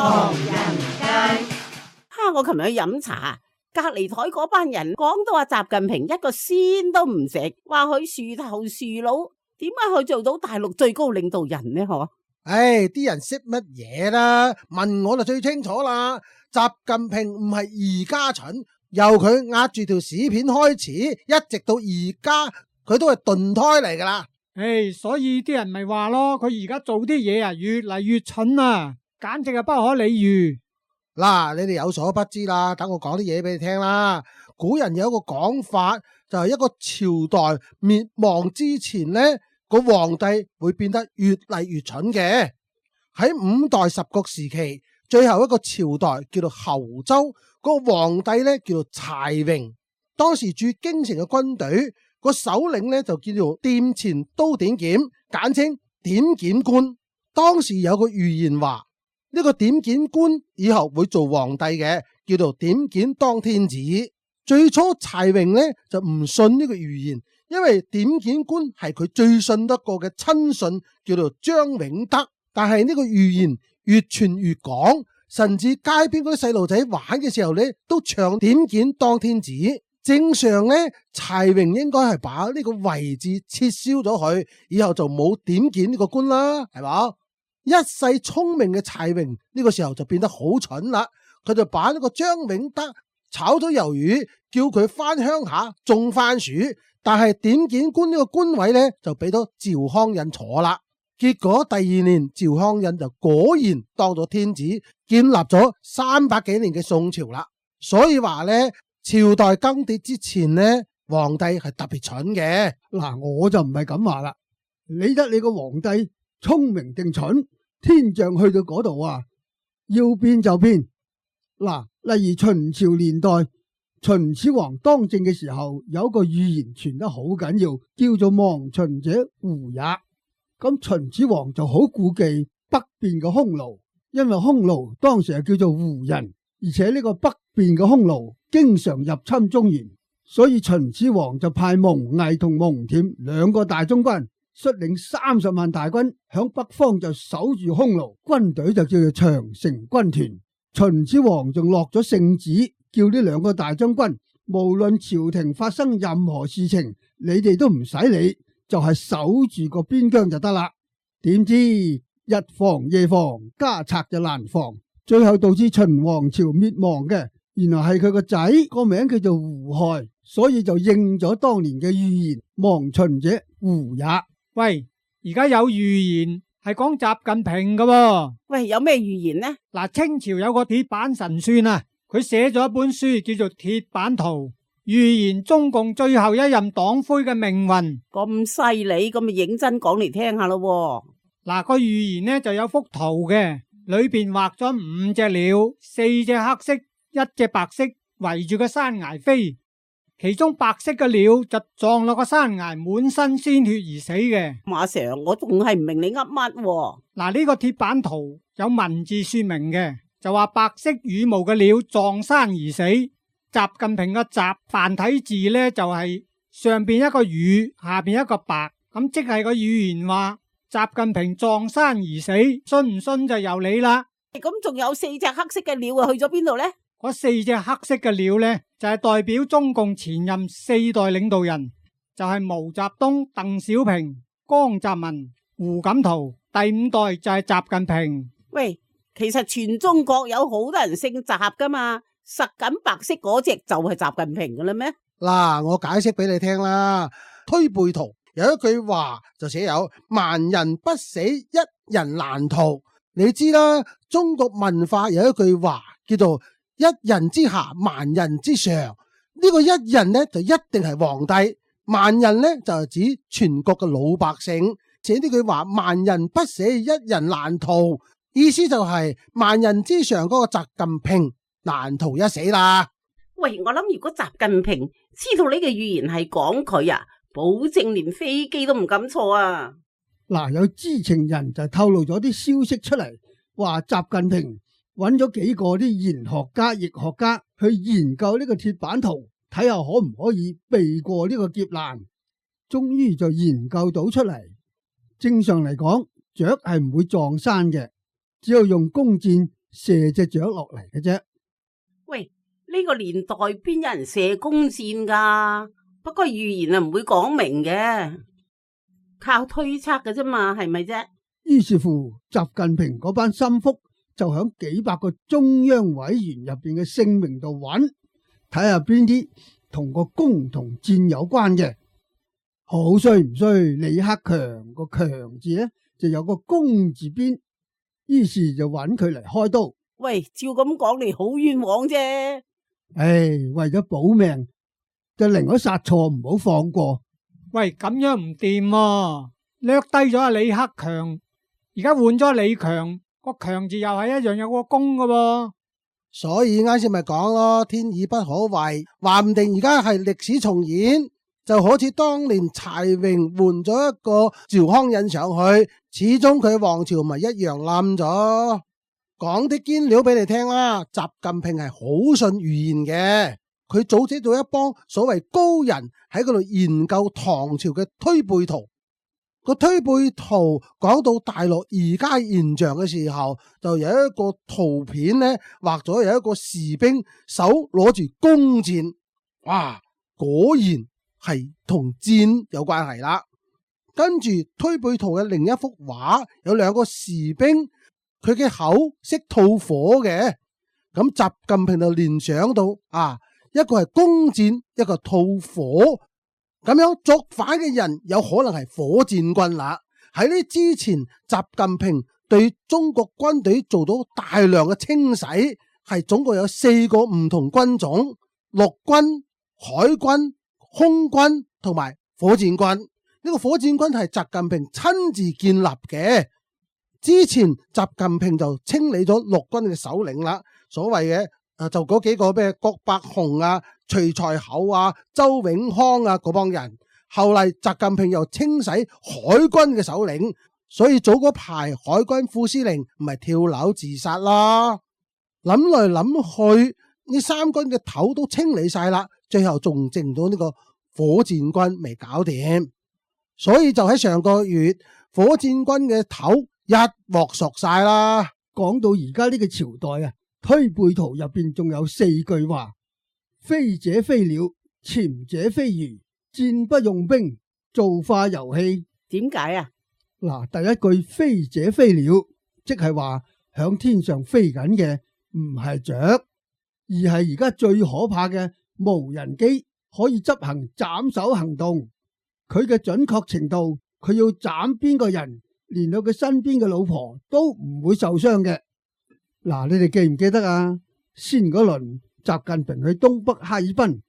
唐人街。我琴日去飲茶，隔籬台嗰班人講到話習近平一個仙都唔食，話佢樹頭樹腦，點解佢做到大陸最高領導人呢？嗬？啲人識乜嘢啦？問我就最清楚啦。習近平唔係而家蠢，由佢壓住條屎片開始，一直到而家，佢都係鈍胎嚟噶啦。所以啲人咪話咯，佢而家做啲嘢啊，越嚟越蠢啊，簡直係不可理喻。嗱，你哋有所不知啦，等我講啲嘢俾你聽啦。古人有一個講法，就係一個朝代滅亡之前呢，個皇帝會變得越嚟越蠢嘅。喺五代十國時期，最後一個朝代叫做侯周，個皇帝呢叫做柴榮。當時駐京城嘅軍隊個首領呢就叫做殿前都點檢，簡稱點檢官。當時有個預言話，呢個點檢官以後會做皇帝嘅，叫做點檢當天子。最初柴榮呢就唔信呢個預言，因為點檢官係佢最信得過嘅親信，叫做張永德。但係呢個預言越傳越廣，甚至街邊嗰啲細路仔玩嘅時候呢都唱點檢當天子。正常呢，柴榮應該係把呢個位置撤銷咗佢，以後就冇點檢呢個官啦，係嘛？一世聰明嘅柴榮呢個時候就變得好蠢啦，佢就把呢個張永德炒咗魷魚，叫佢翻鄉下種番薯，但係點檢官呢個官位呢就俾咗趙匡胤坐啦。結果第二年趙匡胤就果然當咗天子，建立咗300幾年嘅宋朝啦。所以話呢，朝代更迭之前呢，皇帝係特別蠢嘅。嗱，我就唔係咁話啦，理得你個皇帝聰明定蠢，天象去到嗰度啊，要變就變。嗱，例如秦朝年代，秦始皇當政嘅時候，有一個預言傳得好緊要，叫做亡秦者胡也。咁秦始皇就好顧忌北邊嘅匈奴，因為匈奴當時係叫做胡人，而且呢個北邊嘅匈奴經常入侵中原，所以秦始皇就派蒙毅同蒙恬2個大將軍，率領30萬大軍響北方就守住匈奴，軍隊就叫做長城軍團。秦始皇仲落咗聖旨，叫呢2個大將軍，無論朝廷發生任何事情，你哋都唔使理，就係守住個邊疆就得啦。點知日防夜防，家賊就難防，最後導致秦王朝滅亡嘅，原來係佢個仔個名叫做胡亥，所以就應咗當年嘅預言，亡秦者胡也。喂，而家有預言係講習近平㗎喎。喂，有咩預言呢？嗱，清朝有個鐵板神算啊，佢寫咗一本書叫做《鐵板圖》，預言中共最後一任黨魁嘅命運。咁犀利，咁咪認真講嚟聽下咯。嗱，個預言呢就有幅圖嘅，裏邊畫咗5隻鳥，4隻黑色，1隻白色，圍住個山崖飛。其中白色嘅鳥就撞落個山崖，滿身鮮血而死嘅。馬 Sir， 我仲係唔明你噏乜。嗱，呢個鐵板圖有文字說明嘅，就話白色羽毛嘅鳥撞山而死。習近平嘅習繁體字呢，就係上邊一個羽，下邊一個白，咁即係個預言話習近平撞山而死，信唔信就由你啦。咁仲有4隻黑色嘅鳥啊，去咗邊度呢？嗰4隻黑色嘅鳥呢，就係代表中共前任4代領導人，就係毛澤東、鄧小平、江澤民、胡錦濤，第5代就係習近平。喂，其實全中國有好多人姓習噶嘛，實緊白色嗰隻就係習近平噶啦咩？嗱，我解釋俾你聽啦。推背圖有一句話就寫有萬人不死，一人難逃。你知啦，中國文化有一句話叫做一人之下，萬人之上。呢個一人呢就一定係皇帝，萬人呢就係指全國嘅老百姓。寫呢句話萬人不死，一人難逃，意思就係萬人之上嗰個習近平難逃一死啦。喂，我諗如果習近平知道呢個預言係講佢啊，保證連飛機都唔敢坐啊。嗱，有知情人就透露咗啲消息出嚟，話習近平揾咗幾個啲言學家、易學家去研究呢個鐵板圖，睇下可唔可以避過呢個劫難。終於就研究到出嚟。正常嚟講，雀係唔會撞山嘅，只有用弓箭射隻雀落嚟嘅啫。喂，呢個年代邊有人射弓箭噶？不過預言啊唔會講明嘅，靠推測嘅啫嘛，係咪啫？於是乎，習近平嗰班心腹就響幾百個中央委員入邊嘅姓名度揾，睇下邊啲同個弓同箭有關嘅。好衰唔衰？李克強個強字呢，就有個弓字邊，於是就揾佢嚟開刀。喂，照咁講你好冤枉啫。唉，為咗保命，就寧可殺錯唔好放過。喂，咁樣唔掂喎，掠低咗阿李克強，而家換咗李強，個強字又係一樣有個弓噶噃。所以啱先咪講咯，天意不可違，話唔定而家係歷史重演，就好似當年柴榮換咗一個趙匡胤上去，始終佢王朝咪一樣冧咗。講啲堅料俾你聽啦，習近平係好信預言嘅，佢組織咗一幫所謂高人喺嗰度研究唐朝嘅推背圖。個推背圖講到大陸而家現象嘅時候，就有一個圖片呢，畫咗有一個士兵手攞住弓箭，哇，果然係同箭有關係啦。跟住推背圖嘅另一幅畫有兩個士兵，佢嘅口識吐火嘅，咁習近平就聯想到一個係弓箭，一個吐火。咁樣作反嘅人有可能係火箭軍啦。喺呢之前，習近平對中國軍隊做到大量嘅清洗，係總共有4個唔同軍種：陸軍、海軍、空軍同埋火箭軍。呢個火箭軍係習近平親自建立嘅。之前習近平就清理咗陸軍嘅首領啦，所謂嘅就嗰幾個咩郭伯雄啊、徐才厚啊、周永康啊嗰幫人。後嚟習近平又清洗海軍嘅首領，所以早嗰排海軍副司令唔係跳樓自殺啦。諗來諗去，呢三軍嘅頭都清理晒啦，最後仲剩到呢個火箭軍未搞掂，所以就喺上個月，火箭軍嘅頭一鑊熟晒啦。講到而家呢個朝代啊，推背圖入邊仲有4句話：飛者飛鳥，潛者飛魚，戰不用兵，造化遊戲。點解啊？嗱，第一句飛者飛鳥，即係話響天上飛緊嘅唔係雀，而係而家最可怕嘅無人機，可以執行斬首行動。佢嘅準確程度，佢要斬邊個人，連到佢身邊嘅老婆都唔會受傷嘅。嗱，你哋記唔記得啊？先嗰輪習近平去東北哈爾濱，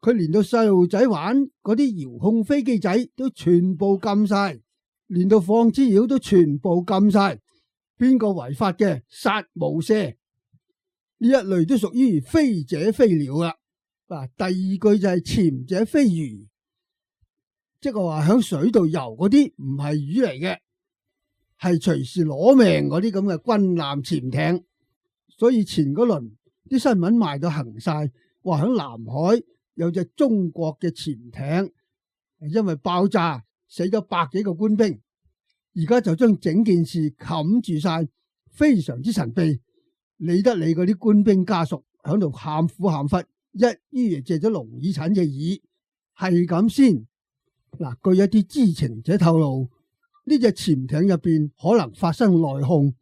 佢連到細路仔玩嗰啲遙控飛機仔都全部禁晒，連到放滋擾都全部禁晒。邊個違法嘅殺無赦，呢一類都屬於飛者飛鳥啦。嗱，第二句就係潛者飛魚，即係話響水度游嗰啲唔係魚嚟嘅，係隨時攞命嗰啲咁嘅軍艦潛艇。所以前嗰輪啲新聞賣到行晒，話響南海有隻中國嘅潛艇，因為爆炸死咗100幾個官兵，而家就將整件事冚住晒，非常之神秘。理得你嗰啲官兵家屬響度喊苦喊忽，一於借咗龍耳診嘅耳，係咁先。嗱，據一啲知情者透露，呢隻潛艇入邊可能發生內訌，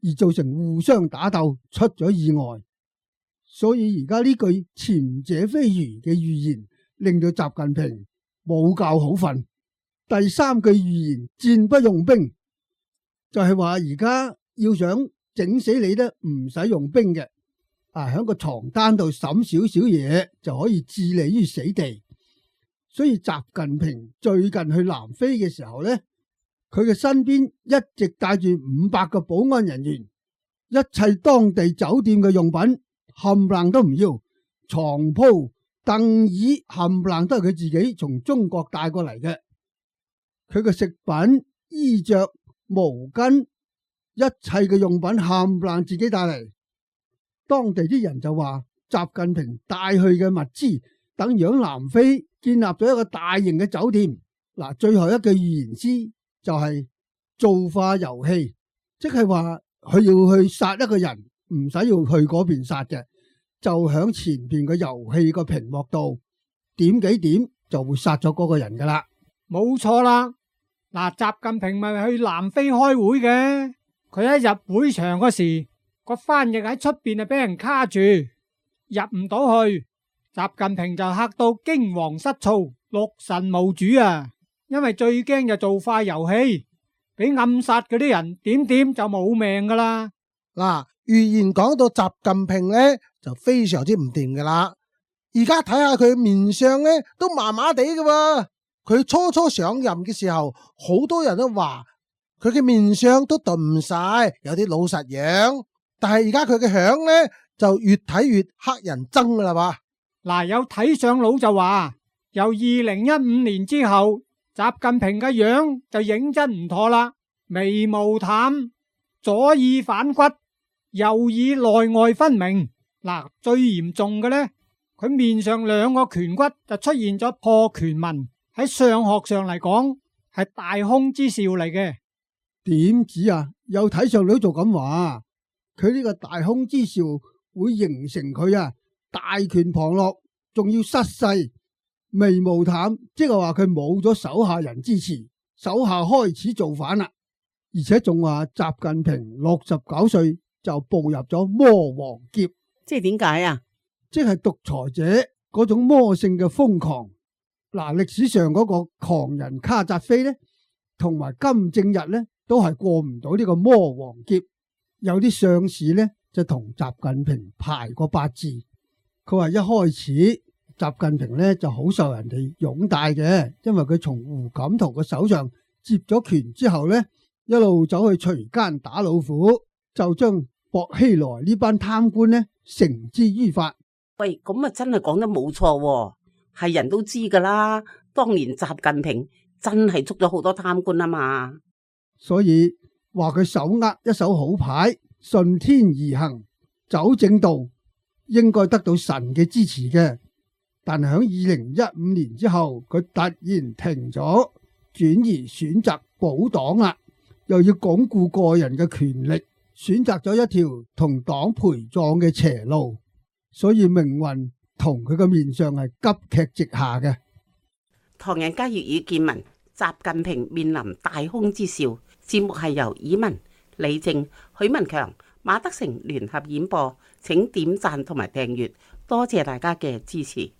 而造成互相打鬥，出咗意外。所以而家呢句潛者飛魚嘅預言，令到習近平冇覺好瞓。第三句預言戰不用兵，就係話而家要想整死你咧，唔使用兵嘅，喺個床單度審少少嘢就可以置你於死地。所以習近平最近去南非嘅時候咧，佢嘅身邊一直帶住500個保安人員，一切當地酒店嘅用品冚唪唥都唔要，床鋪、凳椅冚唪唥都係佢自己從中國帶過嚟嘅。佢嘅食品、衣着、毛巾，一切嘅用品冚唪唥自己帶嚟。當地啲人就話，習近平帶去嘅物資等於喺南非建立咗一個大型嘅酒店。嗱，最後一句預言詩就係造化遊戲，即係話佢要去殺一個人，唔使要去嗰邊殺嘅，就響前邊個遊戲個屏幕度點幾點就會殺咗嗰個人噶啦。冇錯啦。嗱，習近平咪去南非開會嘅，佢一入會場嗰時，個翻譯喺出邊就俾人卡住，入唔到去。習近平就嚇到驚惶失措，六神無主啊！因為最驚就做塊遊戲，俾暗殺嗰啲人點點就冇命噶啦。嗱，預言講到習近平呢，就非常之唔掂噶啦。而家睇下佢面相呢，都麻麻地噶喎。佢初初上任嘅時候，好多人都話佢嘅面相都鈍晒，有啲老實樣。但係而家佢嘅樣呢，就越睇越黑人憎噶啦嘛。嗱，有睇相佬就話，由2015年之後，習近平嘅樣就認真唔妥啦，眉毛淡，左耳反骨，右耳內外分明。嗱，最嚴重嘅呢，佢面上兩個顴骨就出現咗破顴紋，喺相學上嚟講係大凶之兆嚟嘅。點止啊？有睇相佬就咁話，佢呢個大凶之兆會形成佢大權旁落，仲要失勢，眉毛淡，即係話佢冇咗手下人支持，手下開始造反啦。而且仲話習近平69歲就步入咗魔王劫，即係點解啊？即係獨裁者嗰種魔性嘅瘋狂。嗱，歷史上嗰個狂人卡扎菲呢，同埋金正日呢，都係過唔到呢個魔王劫。有啲相士呢，就同習近平排過八字。佢話一開始習近平呢就好受人哋擁戴嘅，因為佢從胡錦濤嘅手上接咗權之後呢，一路走去隨奸打老虎，就將薄熙來呢班貪官呢繩之於法。喂，咁啊真係講得冇錯喎，係人都知噶啦。當年習近平真係捉咗好多貪官啊嘛，所以話佢手握一手好牌，順天而行，走正道，應該得到神嘅支持嘅。但係喺2015年之後，佢突然停咗，轉而選擇保黨啦，又要鞏固個人嘅權力，選擇咗一條同黨陪葬嘅邪路，所以命運同佢嘅面相係急劇直下嘅。唐人街粵語見聞，習近平面臨大凶之兆。節目係由以文、李正、許文強、馬德成聯合演播，請點讚同埋訂閱，多謝大家嘅支持。